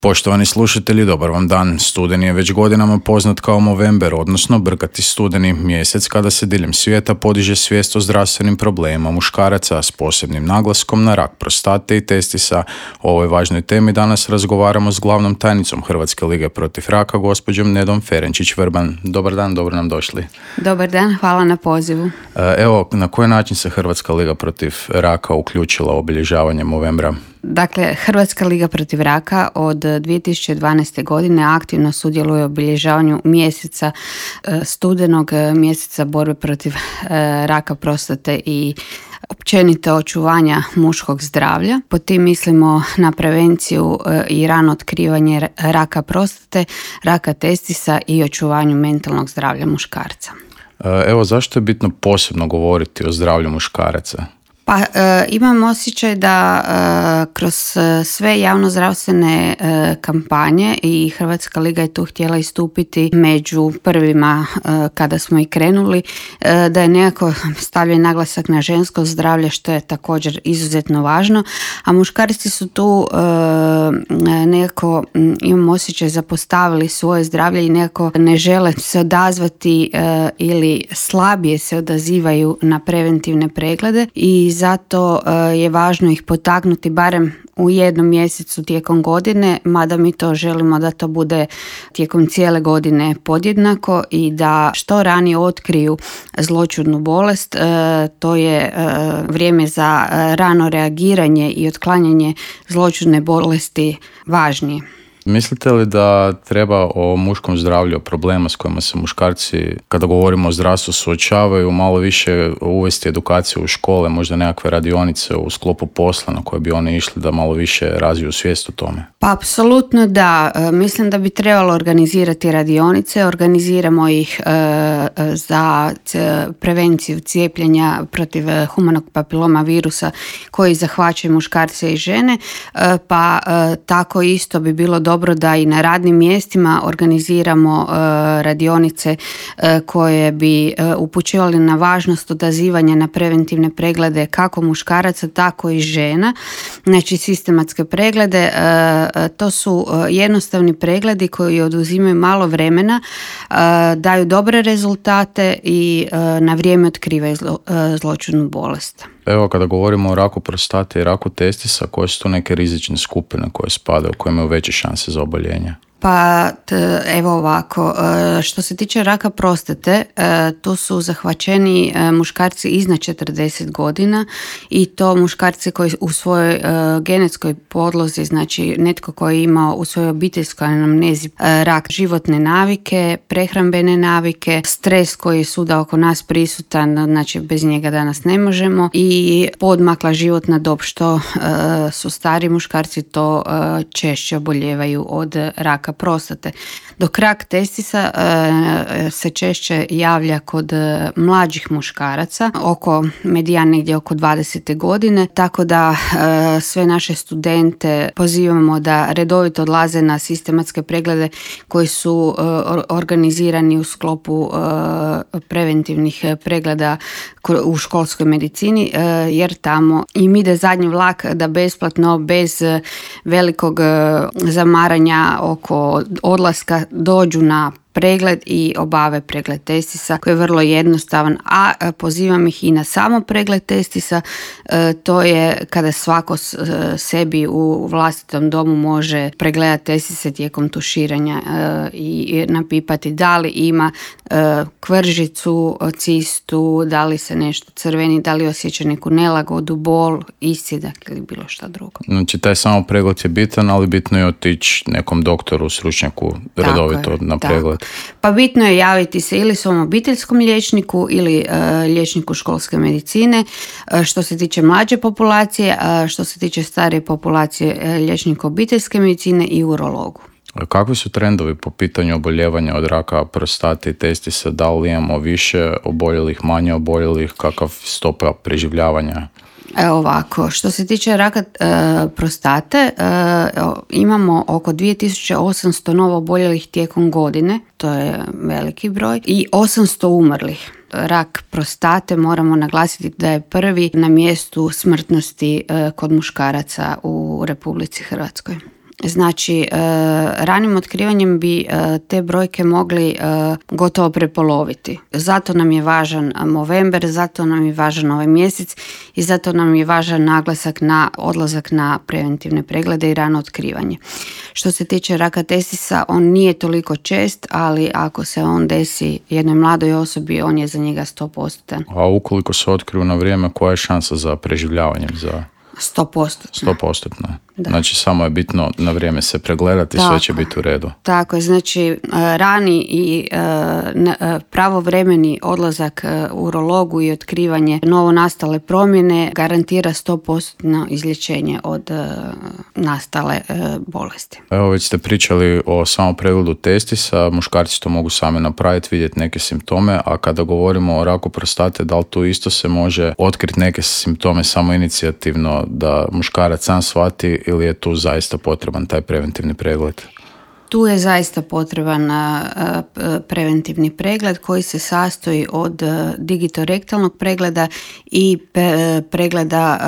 Poštovani slušatelji, dobar vam dan. Studeni je već godinama poznat kao Movember, odnosno brkati studeni, mjesec kada se diljem svijeta podiže svijest o zdravstvenim problemima muškaraca s posebnim naglaskom na rak prostate i testisa. O ovoj važnoj temi danas razgovaramo s glavnom tajnicom Hrvatske lige protiv raka, gospođom Nedom Ferenčić-Vrban. Dobar dan, dobro nam došli. Dobar dan, hvala na pozivu. Evo, na koji način se Hrvatska liga protiv raka uključila u obilježavanje Movembra? Dakle, Hrvatska liga protiv raka od 2012. godine aktivno sudjeluje u obilježavanju mjeseca studenog, mjeseca borbe protiv raka prostate i općenito očuvanja muškog zdravlja. Pod tim mislimo na prevenciju i rano otkrivanje raka prostate, raka testisa i očuvanju mentalnog zdravlja muškarca. Evo, zašto je bitno posebno govoriti o zdravlju muškaraca? Pa imam osjećaj da kroz sve javnozdravstvene kampanje i Hrvatska liga je tu htjela istupiti među prvima kada smo i krenuli, da je nekako stavljen naglasak na žensko zdravlje, što je također izuzetno važno, a muškarci su tu nekako, imam osjećaj, zapostavili svoje zdravlje i nekako ne žele se odazvati ili slabije se odazivaju na preventivne preglede i zato je važno ih potaknuti barem u jednom mjesecu tijekom godine, mada mi to želimo da to bude tijekom cijele godine podjednako i da što ranije otkriju zloćudnu bolest. To je vrijeme za rano reagiranje i otklanjanje zloćudne bolesti važnije. Mislite li da treba o muškom zdravlju, o problema s kojima se muškarci, kada govorimo o zdravstvu, suočavaju, malo više uvesti edukaciju u škole, možda nekakve radionice u sklopu posla na koje bi oni išli da malo više razviju svijest o tome? Pa apsolutno da. Mislim da bi trebalo organizirati radionice. Organiziramo ih za prevenciju cijepljenja protiv humanog papiloma virusa koji zahvaćaju muškarce i žene, pa tako isto bi bilo dobro da i na radnim mjestima organiziramo radionice koje bi upućivali na važnost odazivanja na preventivne preglede kako muškaraca, tako i žena. Znači sistematske preglede, to su jednostavni pregledi koji oduzimaju malo vremena, daju dobre rezultate i na vrijeme otkrivaju zloćudnu bolest. Evo, kada govorimo o raku prostate i raku testisa, koje su to neke rizične skupine koje spadaju, koje imaju veće šanse za oboljenje? Pa evo ovako, što se tiče raka prostate, tu su zahvaćeni muškarci iznad 40 godina i to muškarci koji u svojoj genetskoj podlozi, znači netko koji je imao u svojoj obiteljskoj anamnezi rak životne navike, prehrambene navike, stres koji je svuda oko nas prisutan, znači bez njega danas ne možemo, i podmakla životna dob, što su stari muškarci to češće oboljevaju od raka prostate. Dok rak testisa se češće javlja kod mlađih muškaraca, medijan negdje oko 20. godine, tako da sve naše studente pozivamo da redovito odlaze na sistematske preglede koji su organizirani u sklopu preventivnih pregleda u školskoj medicini, jer tamo im ide zadnji vlak da besplatno, bez velikog zamaranja oko odlaska, dođu na pregled i obave pregled testisa koji je vrlo jednostavan, a pozivam ih i na samo pregled testisa. To je kada svako sebi u vlastitom domu može pregledati testise tijekom tuširanja i napipati da li ima kvržicu, cistu, da li se nešto crveni, da li osjeća neku nelagodu, bol, iscidak ili bilo šta drugo. Znači taj samo pregled je bitan, ali bitno je otići nekom doktoru, stručnjaku redovito na pregled. Pa bitno je javiti se ili svom obiteljskom liječniku ili liječniku školske medicine. Što se tiče mlađe populacije, što se tiče starije populacije, liječnika obiteljske medicine i urologu. Kakvi su trendovi po pitanju oboljevanja od raka prostate i testisa? Da li imamo više oboljelih, manje oboljelih? Kakav stopa preživljavanja? Ovako, što se tiče raka prostate, imamo oko 2800 novo oboljelih tijekom godine, to je veliki broj, i 800 umrlih. Rak prostate moramo naglasiti da je prvi na mjestu smrtnosti kod muškaraca u Republici Hrvatskoj. Znači, ranim otkrivanjem bi te brojke mogli gotovo prepoloviti. Zato nam je važan Movember, zato nam je važan ovaj mjesec i zato nam je važan naglasak na odlazak na preventivne preglede i rano otkrivanje. Što se tiče raka testisa, on nije toliko čest, ali ako se on desi jednoj mladoj osobi, on je za njega 100%. A ukoliko se otkriju na vrijeme, koja je šansa za preživljavanjem? 100%. 100%. Znači, samo je bitno na vrijeme se pregledati i sve će biti u redu. Tako je, znači rani i pravovremeni odlazak urologu i otkrivanje novonastale promjene garantira 100% izlječenje od nastale bolesti. Evo, već ste pričali o samom pregledu testisa, muškarci to mogu sami napraviti, vidjeti neke simptome, a kada govorimo o raku prostate, da li tu isto se može otkriti neke simptome samo inicijativno da muškarac sam shvati ili je tu zaista potreban taj preventivni pregled? Tu je zaista potreban preventivni pregled koji se sastoji od digitorektalnog pregleda i pregleda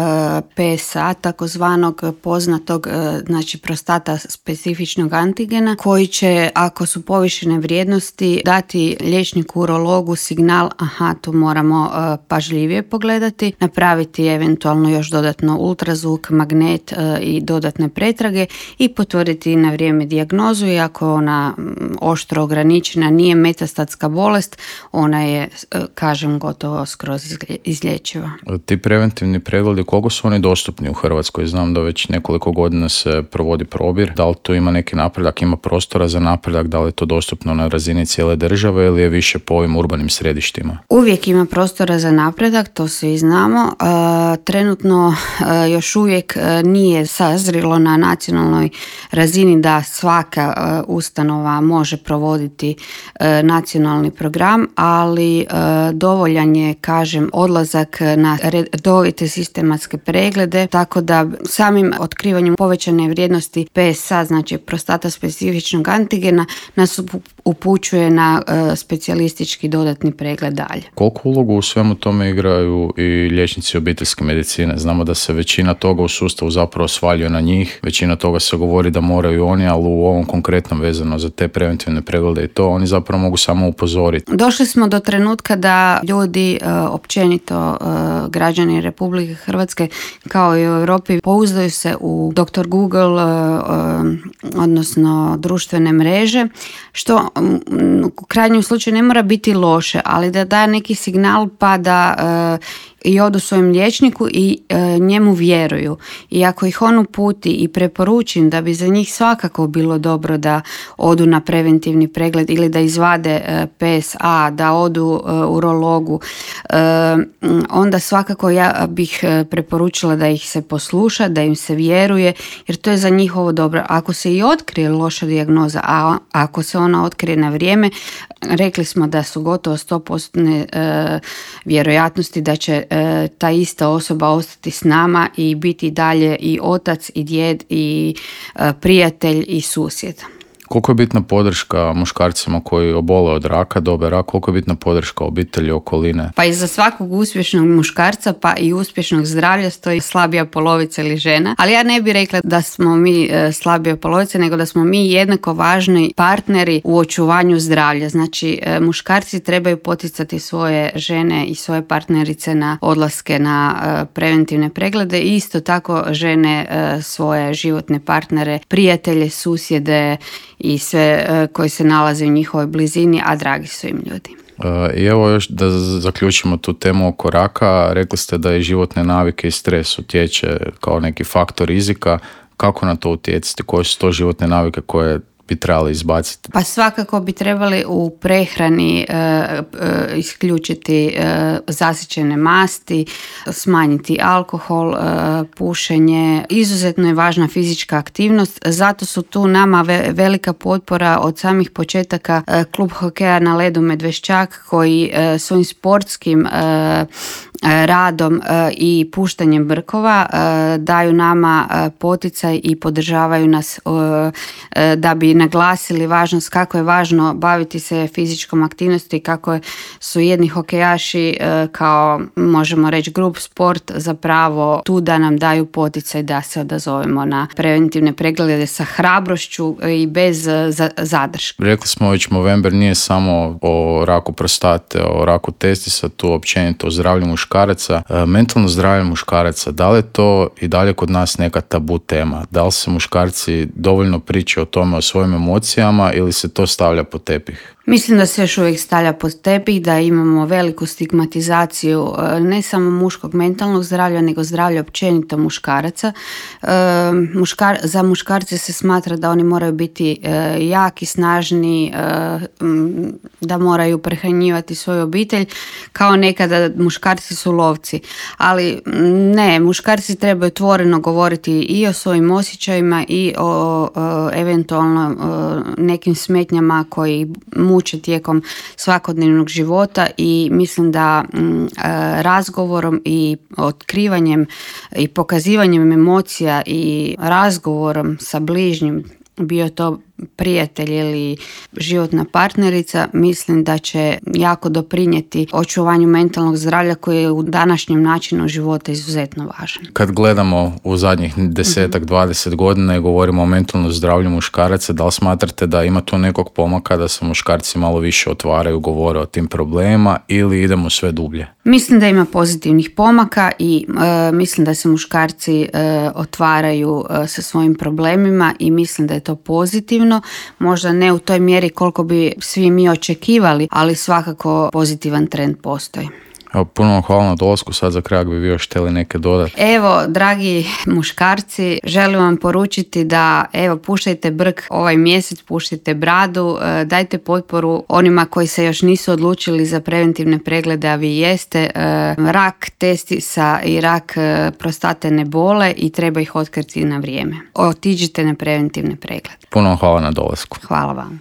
PSA, takozvanog poznatog, znači prostata specifičnog antigena, koji će, ako su povišene vrijednosti, dati liječniku urologu signal, aha, tu moramo pažljivije pogledati, napraviti eventualno još dodatno ultrazvuk, magnet i dodatne pretrage i potvrditi na vrijeme dijagnozu. I ako je ona oštro ograničena, nije metastatska bolest, ona je, kažem, gotovo skroz izlječiva. Ti preventivni pregledi, koliko su oni dostupni u Hrvatskoj? Znam da već nekoliko godina se provodi probir. Da li tu ima neki napredak, ima prostora za napredak, da li je to dostupno na razini cijele države ili je više po ovim urbanim središtima? Uvijek ima prostora za napredak, to svi znamo. Trenutno još uvijek nije sazrilo na nacionalnoj razini da svaka ustanova može provoditi nacionalni program, ali dovoljan je, kažem, odlazak na redovite sistematske preglede, tako da samim otkrivanjem povećane vrijednosti PSA, znači prostata specifičnog antigena, nas upućuje na specijalistički dodatni pregled dalje. Koliko ulogu u svemu tome igraju i liječnici obiteljske medicine? Znamo da se većina toga u sustavu zapravo svaljuje na njih, većina toga se govori da moraju oni, ali u ovom konkretnom vezano za te preventivne preglede i to, oni zapravo mogu samo upozoriti. Došli smo do trenutka da ljudi, općenito građani Republike Hrvatske kao i u Europi, pouzdaju se u Dr. Google, odnosno društvene mreže, što u krajnjem slučaju ne mora biti loše, ali da daje neki signal pa da i odu svojem liječniku i njemu vjeruju. I ako ih on uputi i preporučim da bi za njih svakako bilo dobro da odu na preventivni pregled ili da izvade PSA, da odu urologu, onda svakako ja bih preporučila da ih se posluša, da im se vjeruje, jer to je za njihovo dobro. Ako se i otkrije loša dijagnoza, a ako se ona otkrije na vrijeme, rekli smo da su gotovo 100% vjerojatnosti da će ta ista osoba ostati s nama i biti dalje i otac i djed i prijatelj i susjed. Koliko je bitna podrška muškarcima koji obole od raka, dobe rak, koliko je bitna podrška obitelji, okoline? Pa iza svakog uspješnog muškarca pa i uspješnog zdravlja stoji slabija polovica ili žena, ali ja ne bih rekla da smo mi slabija polovica, nego da smo mi jednako važni partneri u očuvanju zdravlja. Znači, muškarci trebaju poticati svoje žene i svoje partnerice na odlaske na preventivne preglede i isto tako žene svoje životne partnere, prijatelje, susjede i sve koji se nalaze u njihovoj blizini, a dragi su im ljudi. I evo još da zaključimo tu temu oko raka. Rekli ste da i životne navike i stres utječe kao neki faktor rizika. Kako na to utjecati? Koje su to životne navike koje bi trebali izbaciti? Pa svakako bi trebali u prehrani isključiti zasićene masti, smanjiti alkohol, pušenje. Izuzetno je važna fizička aktivnost, zato su tu nama velika potpora od samih početaka klub hokeja na ledu Medveščak koji svojim sportskim radom i puštanjem brkova daju nama poticaj i podržavaju nas da bi naglasili važnost, kako je važno baviti se fizičkom aktivnosti, kako su jedni hokejaši kao, možemo reći, grup sport zapravo tu da nam daju poticaj da se odazovemo na preventivne preglede sa hrabrošću i bez zadrške. Rekli smo već, Movember nije samo o raku prostate, o raku testisa, tu općenito o zdravlju muškaraca. Mentalno zdravlje muškaraca, da li je to i dalje kod nas neka tabu tema? Da li se muškarci dovoljno pričaju o tome, o svojim emocijama, ili se to stavlja pod tepih? Mislim da se još uvijek stavlja pod tepih, da imamo veliku stigmatizaciju ne samo muškog mentalnog zdravlja, nego zdravlja općenito muškaraca. Za muškarce se smatra da oni moraju biti jaki, snažni, da moraju prehranjivati svoju obitelj, kao nekada muškarci su lovci. Ali ne, muškarci trebaju otvoreno govoriti i o svojim osjećajima i o eventualno nekim smetnjama koji muče tijekom svakodnevnog života, i mislim da razgovorom i otkrivanjem i pokazivanjem emocija i razgovorom sa bližnjim, bio to prijatelj ili životna partnerica, mislim da će jako doprinijeti očuvanju mentalnog zdravlja koji je u današnjem načinu života izuzetno važan. Kad gledamo u zadnjih 10-20 godina i govorimo o mentalnom zdravlju muškaraca, da li smatrate da ima tu nekog pomaka, da se muškarci malo više otvaraju, govore o tim problemima, ili idemo sve dublje? Mislim da ima pozitivnih pomaka i mislim da se muškarci otvaraju sa svojim problemima i mislim da je to pozitivno. Možda ne u toj mjeri koliko bi svi mi očekivali, ali svakako pozitivan trend postoji. Evo, puno vam hvala na dolasku. Sad za kraj bi vi još htjeli neke dodati. Evo, dragi muškarci, želim vam poručiti da puštajte brk ovaj mjesec, puštajte bradu, dajte potporu onima koji se još nisu odlučili za preventivne preglede, a vi jeste. Rak testisa i rak prostate ne bole i treba ih otkriti na vrijeme. Otiđite na preventivne preglede. Puno vam hvala na dolasku. Hvala vam.